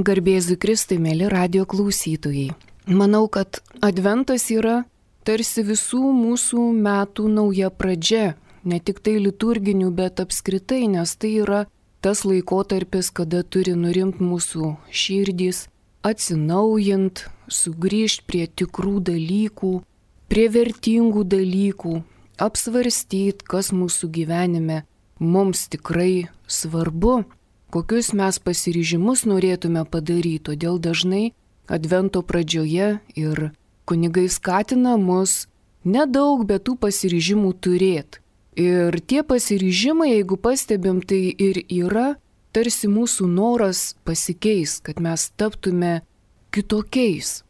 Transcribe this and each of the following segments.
Garbėzui Kristui, mėly radio klausytojai. Manau, kad Adventas yra tarsi visų mūsų metų nauja pradžia. Ne tik tai liturginių, bet apskritai, nes tai yra tas laikotarpis, kada turi nurimti mūsų širdys, atsinaujint, sugrįžti prie tikrų dalykų, prie vertingų dalykų, apsvarstyti, kas mūsų gyvenime mums tikrai svarbu, kokius mes pasiryžimus norėtume padaryti. Todėl dažnai Advento pradžioje ir kunigai skatina mus nedaug, bet tų pasiryžimų turėti. Ir tie pasiryžimai, jeigu pastebim, tai ir yra tarsi mūsų noras pasikeis, kad mes taptume kitokiais.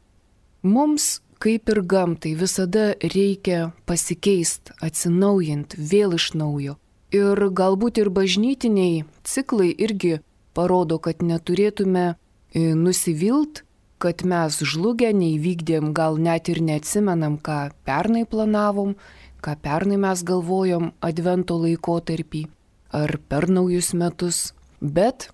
Mums, kaip ir gamtai, visada reikia pasikeisti, atsinaujinti, vėl iš naujo. Ir galbūt ir bažnytiniai ciklai irgi parodo, kad neturėtume nusivilt, kad mes žlugę, neįvykdėm, gal net ir neatsimenam, ką pernai planavom, ką pernai mes galvojom Advento laikotarpį ar per naujus metus. Bet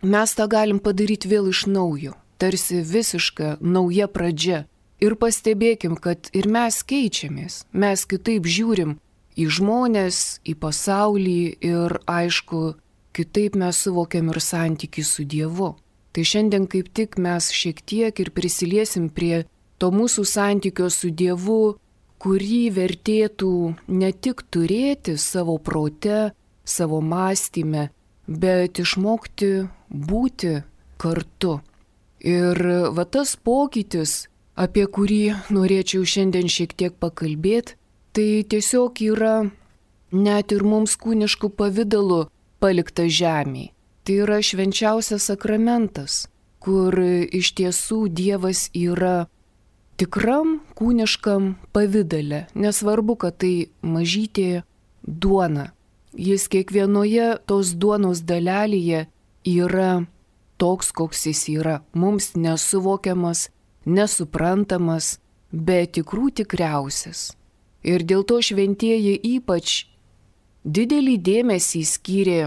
mes tą galim padaryti vėl iš naujo, tarsi visiška nauja pradžia. Ir pastebėkim, kad ir mes keičiamės, mes kitaip žiūrim į žmonės, į pasaulį ir aišku, kitaip mes suvokiam ir santykį su Dievu. Tai šiandien kaip tik mes šiek tiek ir prisiliesim prie to mūsų santykio su Dievu, kurį vertėtų ne tik turėti savo prote, savo mąstyme, bet išmokti būti kartu. Ir va tas pokytis, apie kurį norėčiau šiandien šiek tiek pakalbėti, tai tiesiog yra net ir mums kūniškų pavidalų palikta žemėje. Tai yra švenčiausias sakramentas, kur iš tiesų Dievas yra tikram kūniškam pavidale. Nesvarbu, kad tai mažytė duona. Jis kiekvienoje tos duonos dalelėje yra toks, koks jis yra. Mums nesuvokiamas, nesuprantamas, bet tikrų tikriausias. Ir dėl to šventieji ypač didelį dėmesį skyrė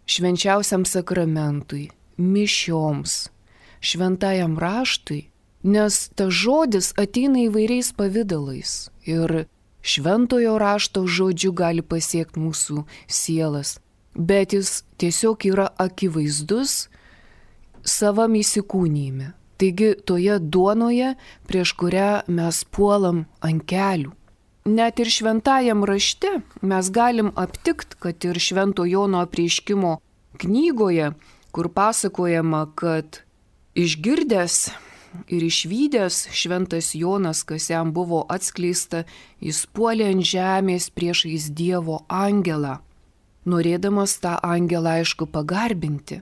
švenčiausiam sakramentui, mišioms, šventajam raštui, nes tas žodis ateina įvairiais pavidalais ir šventojo rašto žodžiu gali pasiekti mūsų sielas, bet jis tiesiog yra akivaizdus savam įsikūnyme. Taigi toje duonoje, prieš kurią mes puolam ant kelių. Net ir šventajam rašte mes galim aptikti, kad ir Švento Jono apreiškimo knygoje, kur pasakojama, kad išgirdęs ir išvydęs šventas Jonas, kas jam buvo atskleista, jis puolė ant žemės priešais Dievo angelą, norėdamas tą angelą aišku pagarbinti.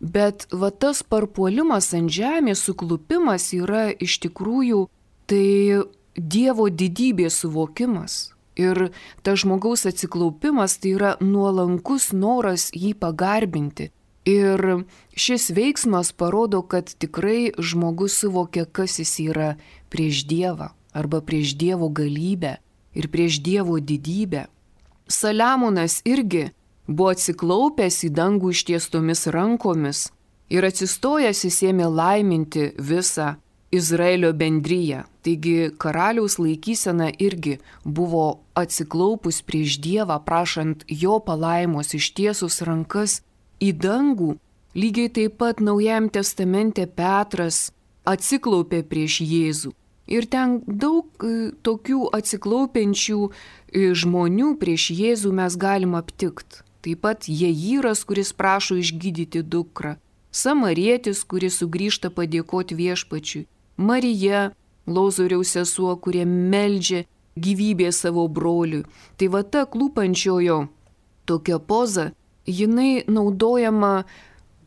Bet va tas parpuolimas ant žemės, suklupimas yra iš tikrųjų tai Dievo didybės suvokimas. Ir tas žmogaus atsiklaupimas tai yra nuolankus noras jį pagarbinti. Ir šis veiksmas parodo, kad tikrai žmogus suvokia, kas jis yra prieš Dievą arba prieš Dievo galybę ir prieš Dievo didybę. Saliamonas irgi buvo atsiklaupęs į dangų ištiestomis rankomis ir atsistojęs jis ėmė laiminti visą Izraelio bendriją. Taigi karaliaus laikysena irgi buvo atsiklaupus prieš Dievą, prašant jo palaimos, ištiesus rankas į dangų. Lygiai taip pat Naujajame testamente Petras atsiklaupė prieš Jėzų. Ir ten daug tokių atsiklaupiančių žmonių prieš Jėzų mes galim aptikti. Taip pat Jairas, kuris prašo išgydyti dukrą. Samarietis, kuris sugrįžta padėkoti viešpačiui. Marija, Lozoriaus sesuo, kurie meldžia gyvybę savo broliui. Tai va ta klūpančiojo tokia poza, jinai naudojama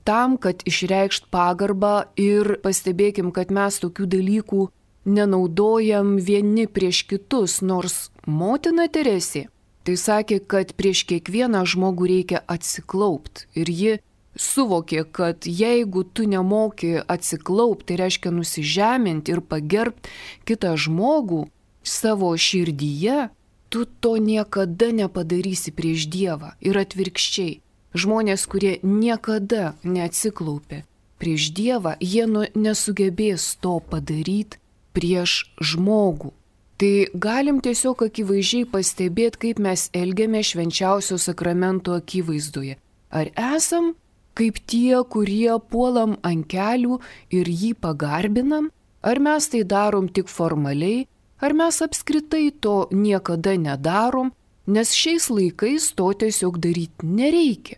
tam, kad išreikšt pagarbą ir pastebėkim, kad mes tokių dalykų nenaudojam vieni prieš kitus, nors motina Teresė tai sakė, kad prieš kiekvieną žmogų reikia atsiklaupt ir ji suvokė, kad jeigu tu nemoki atsiklaupti, tai reiškia nusižeminti ir pagerbti kitą žmogų savo širdyje, tu to niekada nepadarysi prieš Dievą. Ir atvirkščiai, žmonės, kurie niekada neatsiklaupė prieš Dievą, jie nesugebės to padaryti prieš žmogų. Tai galim tiesiog akivaizdžiai pastebėti, kaip mes elgiame švenčiausio sakramento akivaizdoje. Ar esam kaip tie, kurie puolam ant kelių ir jį pagarbinam, ar mes tai darom tik formaliai, ar mes apskritai to niekada nedarom, nes šiais laikais to tiesiog daryti nereikia.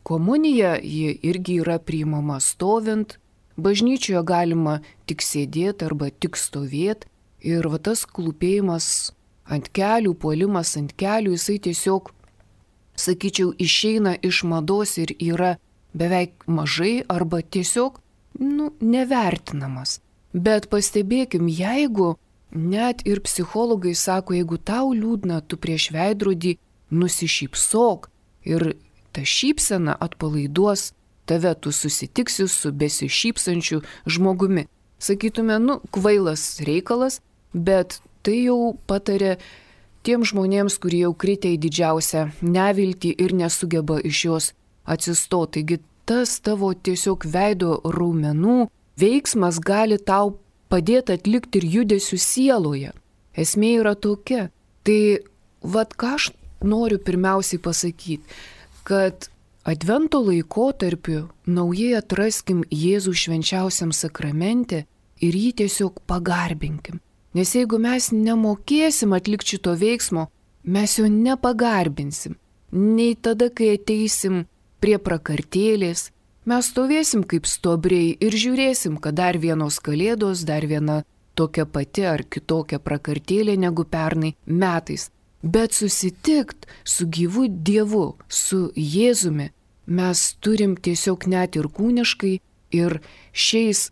Komunija ji irgi yra priimama stovint, bažnyčioje galima tik sėdėti arba tik stovėti ir va tas klūpėjimas ant kelių, puolimas ant kelių, jisai tiesiog, sakyčiau, išeina iš mados ir yra beveik mažai arba tiesiog, nevertinamas. Bet pastebėkim, jeigu net ir psichologai sako, jeigu tau liūdna, tu prieš veidrodį nusišypsok ir ta šypsena atpalaiduos tave, tu susitiksi su besišypsančiu žmogumi. Sakytume, kvailas reikalas, bet tai jau patarė tiem žmonėms, kurie jau kritę į didžiausią neviltį ir nesugeba iš jos atsistoti. Taigi tas tavo tiesiog veido raumenų veiksmas gali tau padėti atlikti ir judesių sieloje. Esmė yra tokia. Tai ką aš noriu pirmiausiai pasakyti, kad Advento laikotarpiu naujai atraskim Jėzų švenčiausiam sakramente ir jį tiesiog pagarbinkim. Nes jeigu mes nemokėsim atlikti šito veiksmo, mes jo nepagarbinsim. Nei tada, kai ateisim prie prakartėlės, mes stovėsim kaip stuobriai ir žiūrėsim, kad dar vienos kalėdos, dar viena tokia pati ar kitokia prakartėlė negu pernai metais. Bet susitikt su gyvu Dievu, su Jėzumi, mes turim tiesiog net ir kūniškai ir šiais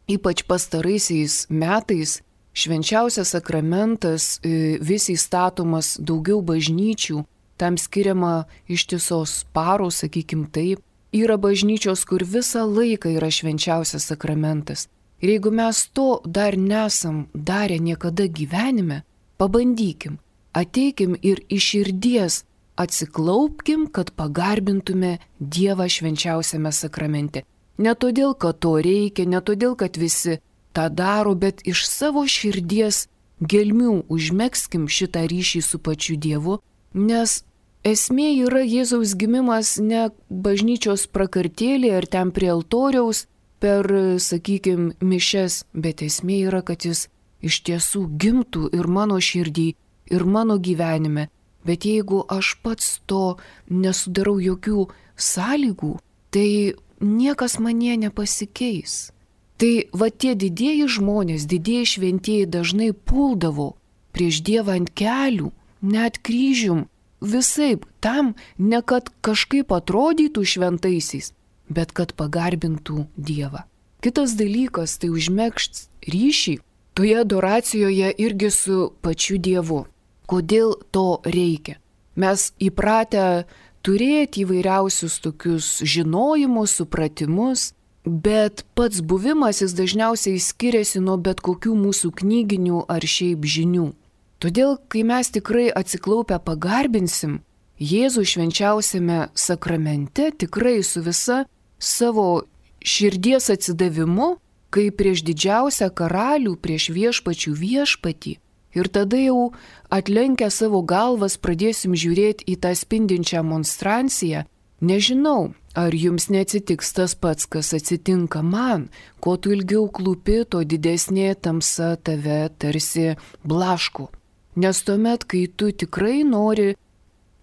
ypač pastaraisiais metais švenčiausias sakramentas vis įstatomas daugiau bažnyčių, tam skiriama ištisos paros, sakykim taip. Yra bažnyčios, kur visą laiką yra švenčiausias sakramentas. Ir jeigu mes to dar nesam darę niekada gyvenime, pabandykim. Ateikim ir iš širdies atsiklaupkim, kad pagarbintume Dievą švenčiausiame sakramente. Ne todėl, kad to reikia, ne todėl, kad visi tą daro, bet iš savo širdies gelmių užmegskim šitą ryšį su pačiu Dievu, nes esmė yra Jėzaus gimimas ne bažnyčios prakartėlė ar ten prie altoriaus per, sakykim, mišes, bet esmė yra, kad jis iš tiesų gimtų ir mano širdį, ir mano gyvenime, bet jeigu aš pats to nesudarau jokių sąlygų, tai niekas manyje nepasikeis. Tai tie didieji žmonės, didieji šventieji dažnai puldavo prieš Dievą ant kelių, net kryžium, visaip tam, ne kad kažkaip atrodytų šventaisiais, bet kad pagarbintų Dievą. Kitas dalykas tai užmegzti ryšį toje adoracijoje irgi su pačiu Dievu. Kodėl to reikia? Mes įpratę turėti įvairiausius tokius žinojimus, supratimus, bet pats buvimas jis dažniausiai skiriasi nuo bet kokių mūsų knyginių ar šiaip žinių. Todėl, kai mes tikrai atsiklaupę pagarbinsim Jėzų švenčiausiame sakramente, tikrai su visa savo širdies atsidavimu, kaip prieš didžiausią karalių, prieš viešpačių viešpatį, ir tada jau atlenkę savo galvas pradėsim žiūrėti į tą spindinčią monstranciją. Nežinau, ar jums neatsitiks tas pats, kas atsitinka man, ko tu ilgiau klūpi, to didesnė tamsa tave tarsi blaško. Nes tuomet, kai tu tikrai nori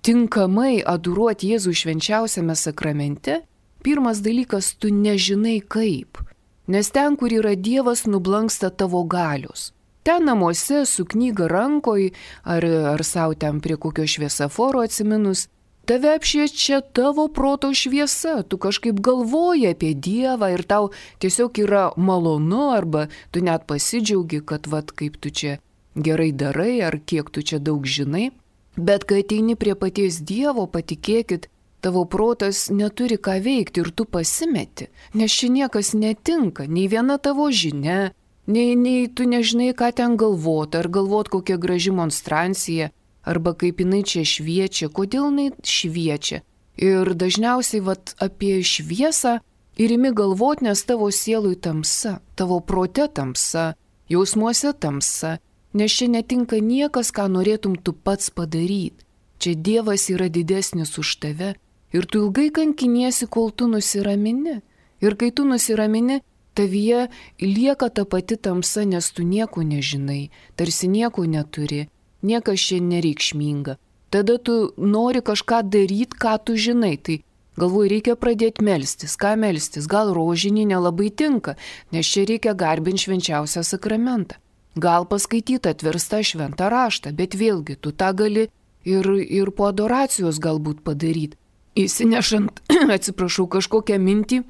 tinkamai adoruoti Jėzų švenčiausiame sakramente, pirmas dalykas, tu nežinai kaip. Nes ten, kur yra Dievas, nublanksta tavo galios. Ten namuose su knyga rankoj ar savo ten prie kokio šviesaforo atsiminus, tave apšviečia tavo proto šviesa, tu kažkaip galvoji apie Dievą ir tau tiesiog yra malonu arba tu net pasidžiaugi, kad kaip tu čia gerai darai ar kiek tu čia daug žinai. Bet kai ateini prie paties Dievo, patikėkit, tavo protas neturi ką veikti ir tu pasimeti, nes čia niekas netinka, nei viena tavo žinia, nei tu nežinai, ką ten galvoti, ar galvoti kokia graži monstrancija, arba kaip jinai čia šviečia, kodėl jinai šviečia. Ir dažniausiai apie šviesą Ir imi galvot, nes tavo sielui tamsa, tavo prote tamsa, jausmuose tamsa, nes čia netinka niekas, ką norėtum tu pats padaryti. Čia Dievas yra didesnis už tave ir tu ilgai kankiniesi, kol tu nusiramini. Ir kai tu nusiramini, tavyje lieka ta pati tamsa, nes tu nieko nežinai, tarsi nieko neturi, niekas čia nereikšminga. Tada tu nori kažką daryti, ką tu žinai, tai galvoju, reikia pradėti melstis. Ką melstis? Gal rožinį nelabai tinka, nes čia reikia garbinti švenčiausią sakramentą. Gal paskaityti atverstą šventą raštą, bet vėlgi tu tą gali ir po adoracijos galbūt padaryti. Įsinešant, atsiprašau, kažkokią mintį,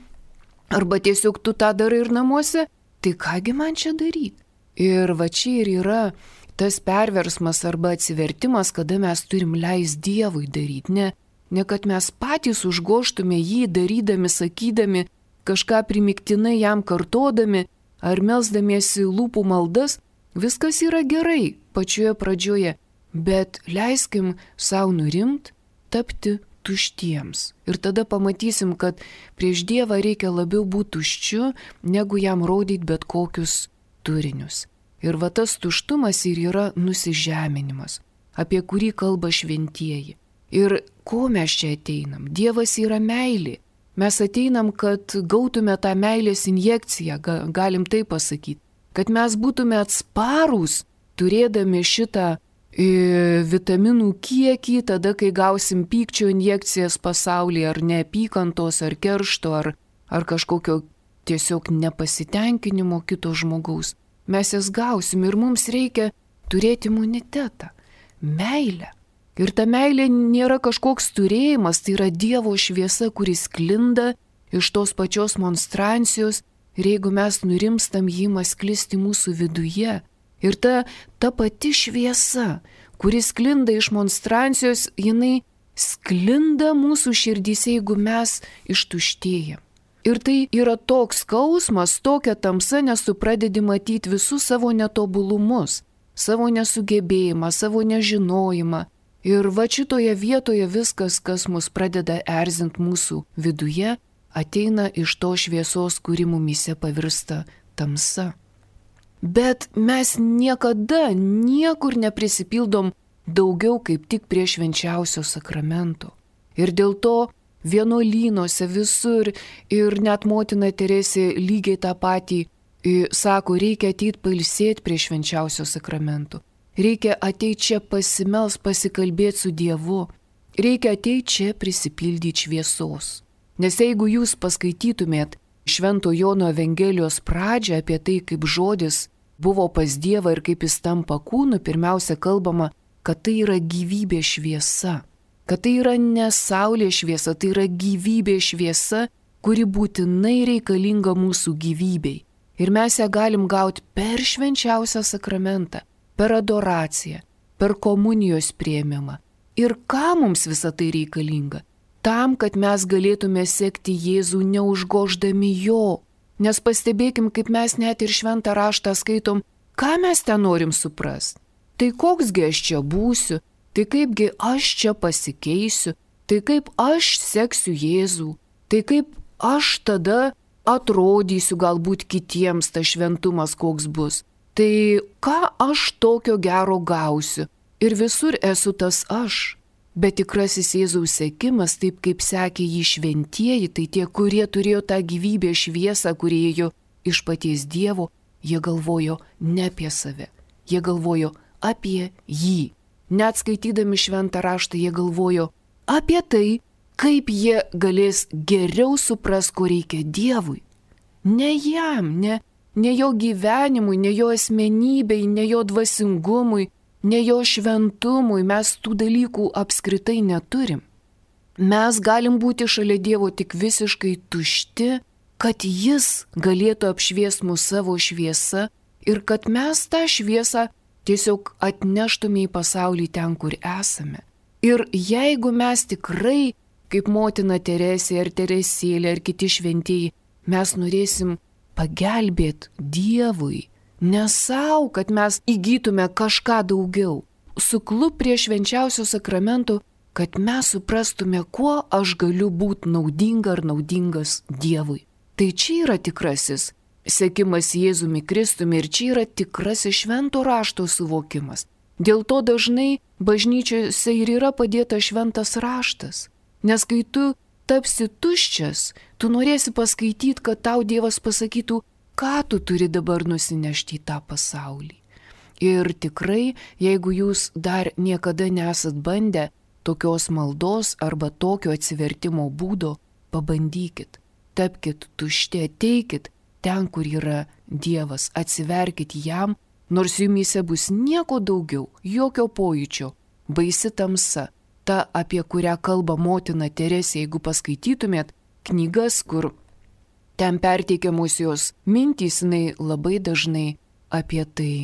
arba tiesiog tu tą darai ir namuose, tai kągi man čia daryti? Ir va čia ir yra tas perversmas arba atsivertimas, kada mes turim leisti Dievui daryti, ne kad mes patys užgoštume jį darydami, sakydami, kažką primiktinai jam kartodami ar melsdamiesi lūpų maldas, viskas yra gerai pačioje pradžioje, bet leiskim savo nurimt, tapti tuštiems. Ir tada pamatysim, kad prieš Dievą reikia labiau būti tuščiu, negu jam rodyti bet kokius turinius. Ir va tas tuštumas ir yra nusižeminimas, apie kurį kalba šventieji. Ir ko mes čia ateinam? Dievas yra meilė. Mes ateinam, kad gautume tą meilės injekciją, galim tai pasakyti. Kad mes būtume atsparūs, turėdami šitą vitaminų kiekį, tada, kai gausim pykčio injekcijas pasaulyje, ar neapykantos, ar keršto, ar kažkokio tiesiog nepasitenkinimo kito žmogaus. Mes jas gausim ir mums reikia turėti imunitetą, meilę. Ir ta meilė nėra kažkoks turėjimas, tai yra Dievo šviesa, kuris sklinda iš tos pačios monstrancijos ir jeigu mes nurimstam, jį ima sklisti mūsų viduje. Ir ta pati šviesa, kuris sklinda iš monstrancijos, jinai sklinda mūsų širdyse, jeigu mes ištuštėjam. Ir tai yra toks skausmas, tokia tamsa, nes tu pradedi matyti visus savo netobulumus, savo nesugebėjimą, savo nežinojimą. Ir va šitoje vietoje viskas, kas mus pradeda erzinti mūsų viduje, ateina iš to šviesos, kuri mumise pavirsta tamsa. Bet mes niekada niekur neprisipildom daugiau kaip tik prie švenčiausio sakramento. Ir dėl to vienuolynuose visur ir net motina Teresė lygiai tą patį sako, reikia ateiti pailsėti prie švenčiausio sakramento. Reikia ateiti čia pasimels, pasikalbėti su Dievu. Reikia ateiti čia prisipildyti šviesos. Nes jeigu jūs paskaitytumėt Švento Jono Evangelijos pradžią apie tai, kaip žodis buvo pas Dievą ir kaip jis tampa kūnu, pirmiausia kalbama, kad tai yra gyvybė šviesa. Kad tai yra ne saulės šviesa, tai yra gyvybė šviesa, kuri būtinai reikalinga mūsų gyvybei. Ir mes ją galim gauti per švenčiausią sakramentą, per adoraciją, per komunijos priėmimą. Ir ką mums visa tai reikalinga? Tam, kad mes galėtume sekti Jėzų neužgoždami jo. Nes pastebėkim, kaip mes net ir šventą raštą skaitom, ką mes ten norim suprasti. Tai koksgi aš čia būsiu, tai kaipgi aš čia pasikeisiu, tai kaip aš seksiu Jėzų, tai kaip aš tada atrodysiu galbūt kitiems tas šventumas koks bus. Tai ką aš tokio gero gausiu? Ir visur esu tas aš. Bet tikrasis Jėzaus sekimas, taip kaip sekė jį šventieji, tai tie, kurie turėjo tą gyvybę šviesą, kurie ėjo iš paties Dievo, jie galvojo ne apie save, jie galvojo apie jį. Net skaitydami šventą raštą, jie galvojo apie tai, kaip jie galės geriau supras, ko reikia Dievui. Ne jam, ne jo gyvenimui, ne jo asmenybei, ne jo dvasingumui, ne jo šventumui, mes tų dalykų apskritai neturim. Mes galim būti šalia Dievo tik visiškai tušti, kad jis galėtų apšviesti mus savo šviesą ir kad mes tą šviesą tiesiog atneštume į pasaulį ten, kur esame. Ir jeigu mes tikrai, kaip motina Teresė ar Teresėlė ar kiti šventieji, mes norėsim pagelbėti Dievui, ne savo, kad mes įgytume kažką daugiau. Suklup prie švenčiausio sakramento, kad mes suprastume, kuo aš galiu būti naudinga ar naudingas Dievui. Tai čia yra tikrasis sekimas Jėzumi Kristumi ir čia yra tikrasis švento rašto suvokimas. Dėl to dažnai bažnyčiose ir yra padėta šventas raštas. Nes kai tu tapsi tuščias, tu norėsi paskaityti, kad tau Dievas pasakytų, ką tu turi dabar nusinešti į tą pasaulį. Ir tikrai, jeigu jūs dar niekada nesat bandę tokios maldos arba tokio atsivertimo būdo, pabandykit. Tapkit tušti, ateikit ten, kur yra Dievas, atsiverkit jam, nors jumyse bus nieko daugiau, jokio pojūčio, baisi tamsa, ta, apie kurią kalba motina Teresė, jeigu paskaitytumėt knygas, kur ten perteikiamos jos mintys, jinai labai dažnai apie tai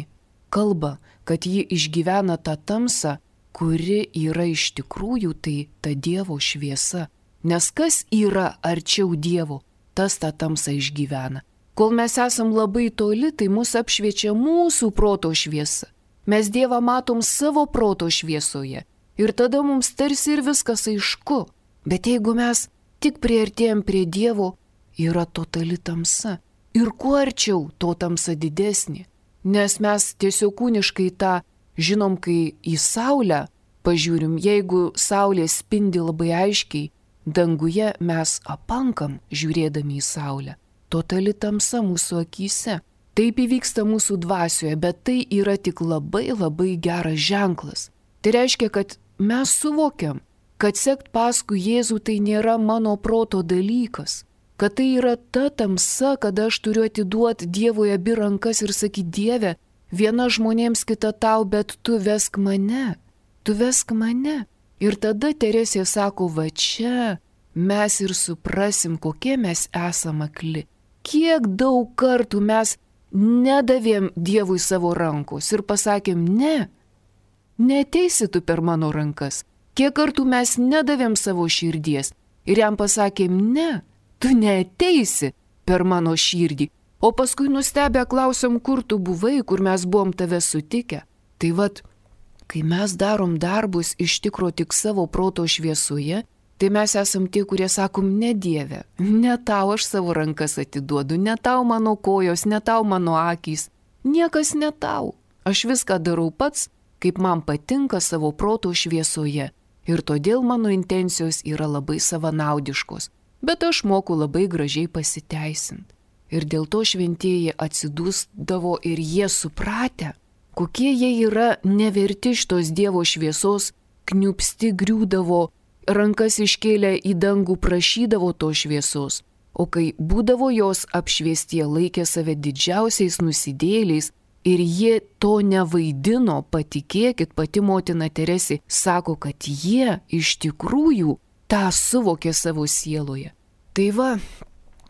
kalba, kad ji išgyvena tą tamsą, kuri yra iš tikrųjų tai ta Dievo šviesa. Nes kas yra arčiau Dievo, tas tą tamsą išgyvena. Kol mes esam labai toli, tai mus apšviečia mūsų proto šviesa. Mes Dievą matom savo proto šviesoje. Ir tada mums tarsi ir viskas aišku. Bet jeigu mes tik priartėjom prie Dievo, yra totali tamsa. Ir kuo arčiau, to tamsa didesnė. Nes mes tiesiog kūniškai tą žinom, kai į saulę pažiūrim, jeigu saulė spindi labai aiškiai, danguje mes apankam žiūrėdami į saulę. Totali tamsa mūsų akyse. Taip įvyksta mūsų dvasioje, bet tai yra tik labai labai geras ženklas. Tai reiškia, kad mes suvokiam, kad sekt paskui Jėzų tai nėra mano proto dalykas. Kad tai yra ta tamsa, kad aš turiu atiduoti Dievui abi rankas ir sakyti, Dieve, viena žmonėms, kita tau, bet tu vesk mane. Tu vesk mane. Ir tada Teresė sako, va čia mes ir suprasim, kokie mes esame akli. Kiek daug kartų mes nedavėm Dievui savo rankos ir pasakėm, ne, neteisi tu per mano rankas. Kiek kartų mes nedavėm savo širdies ir jam pasakėm, ne, tu neteisi per mano širdį. O paskui nustebę klausom, kur tu buvai, kur mes buvom tave sutikę. Tai vat, kai mes darom darbus iš tikro tik savo proto šviesoje, tai mes esam tie, kurie sakom, ne Dieve, ne tau aš savo rankas atiduodu, ne tau mano kojos, ne tau mano akys, niekas ne tau. Aš viską darau pats, kaip man patinka savo proto šviesoje ir todėl mano intencijos yra labai savanaudiškos, bet aš moku labai gražiai pasiteisinti. Ir dėl to šventieji atsidūsdavo ir jie supratę, kokie jie yra neverti šitos Dievo šviesos, kniupsti griūdavo, rankas iškėlę į dangų prašydavo to šviesos, o kai būdavo jos apšviestie, laikė save didžiausiais nusidėliais ir jie to nevaidino, patikėkit, pati motina Teresė sako, kad jie iš tikrųjų tą suvokė savo sieloje. Tai va,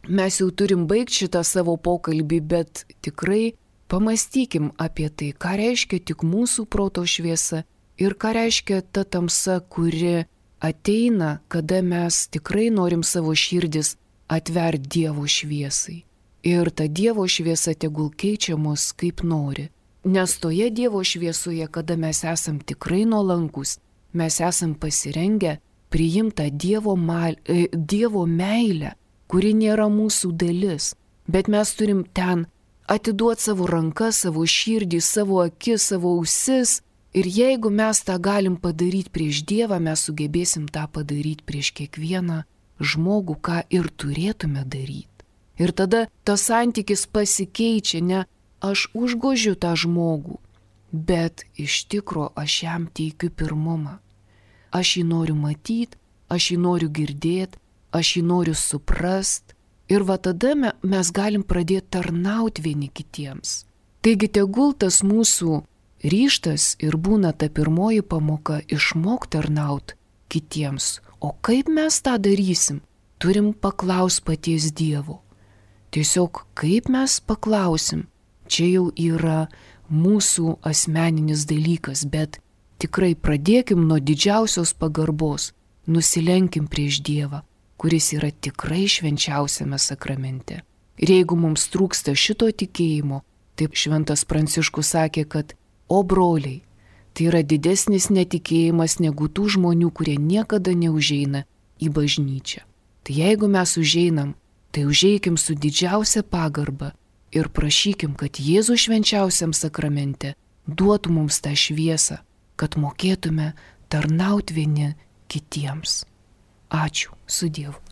mes jau turim baigti šitą savo pokalbį, bet tikrai pamąstykim apie tai, ką reiškia tik mūsų proto šviesa ir ką reiškia ta tamsa, kuri ateina, kada mes tikrai norim savo širdis atverti Dievo šviesai. Ir ta Dievo šviesa tegul keičia mus kaip nori. Nes toje Dievo šviesoje, kada mes esam tikrai nuolankus, mes esam pasirengę priimti Dievo meilę, kuri nėra mūsų dalis. Bet mes turim ten atiduoti savo rankas, savo širdį, savo akis, savo ausis. Ir jeigu mes tą galim padaryti prieš Dievą, mes sugebėsim tą padaryti prieš kiekvieną žmogų, ką ir turėtume daryti. Ir tada tas santykis pasikeičia, ne aš užgožiu tą žmogų, bet iš tikro aš jam teikiu pirmumą. Aš jį noriu matyti, aš jį noriu girdėti, aš jį noriu suprast. Ir va tada mes galim pradėti tarnauti vieni kitiems. Taigi tegul tas mūsų ryžtas ir būna ta pirmoji pamoka išmokti tarnauti kitiems. O kaip mes tą darysim? Turim paklausti paties Dievo. Tiesiog kaip mes paklausim, čia jau yra mūsų asmeninis dalykas, bet tikrai pradėkim nuo didžiausios pagarbos, nusilenkim prieš Dievą, kuris yra tikrai švenčiausiame sakramente. Ir jeigu mums trūksta šito tikėjimo, taip šventas Pranciškus sakė, kad o broliai, tai yra didesnis netikėjimas negu tų žmonių, kurie niekada neužeina į bažnyčią. Tai jeigu mes užeinam tai užeikim su didžiausia pagarba ir prašykim, kad Jėzus švenčiausiam sakramente duotų mums tą šviesą, kad mokėtume tarnauti vieni kitiems. Ačiū, su Dievu.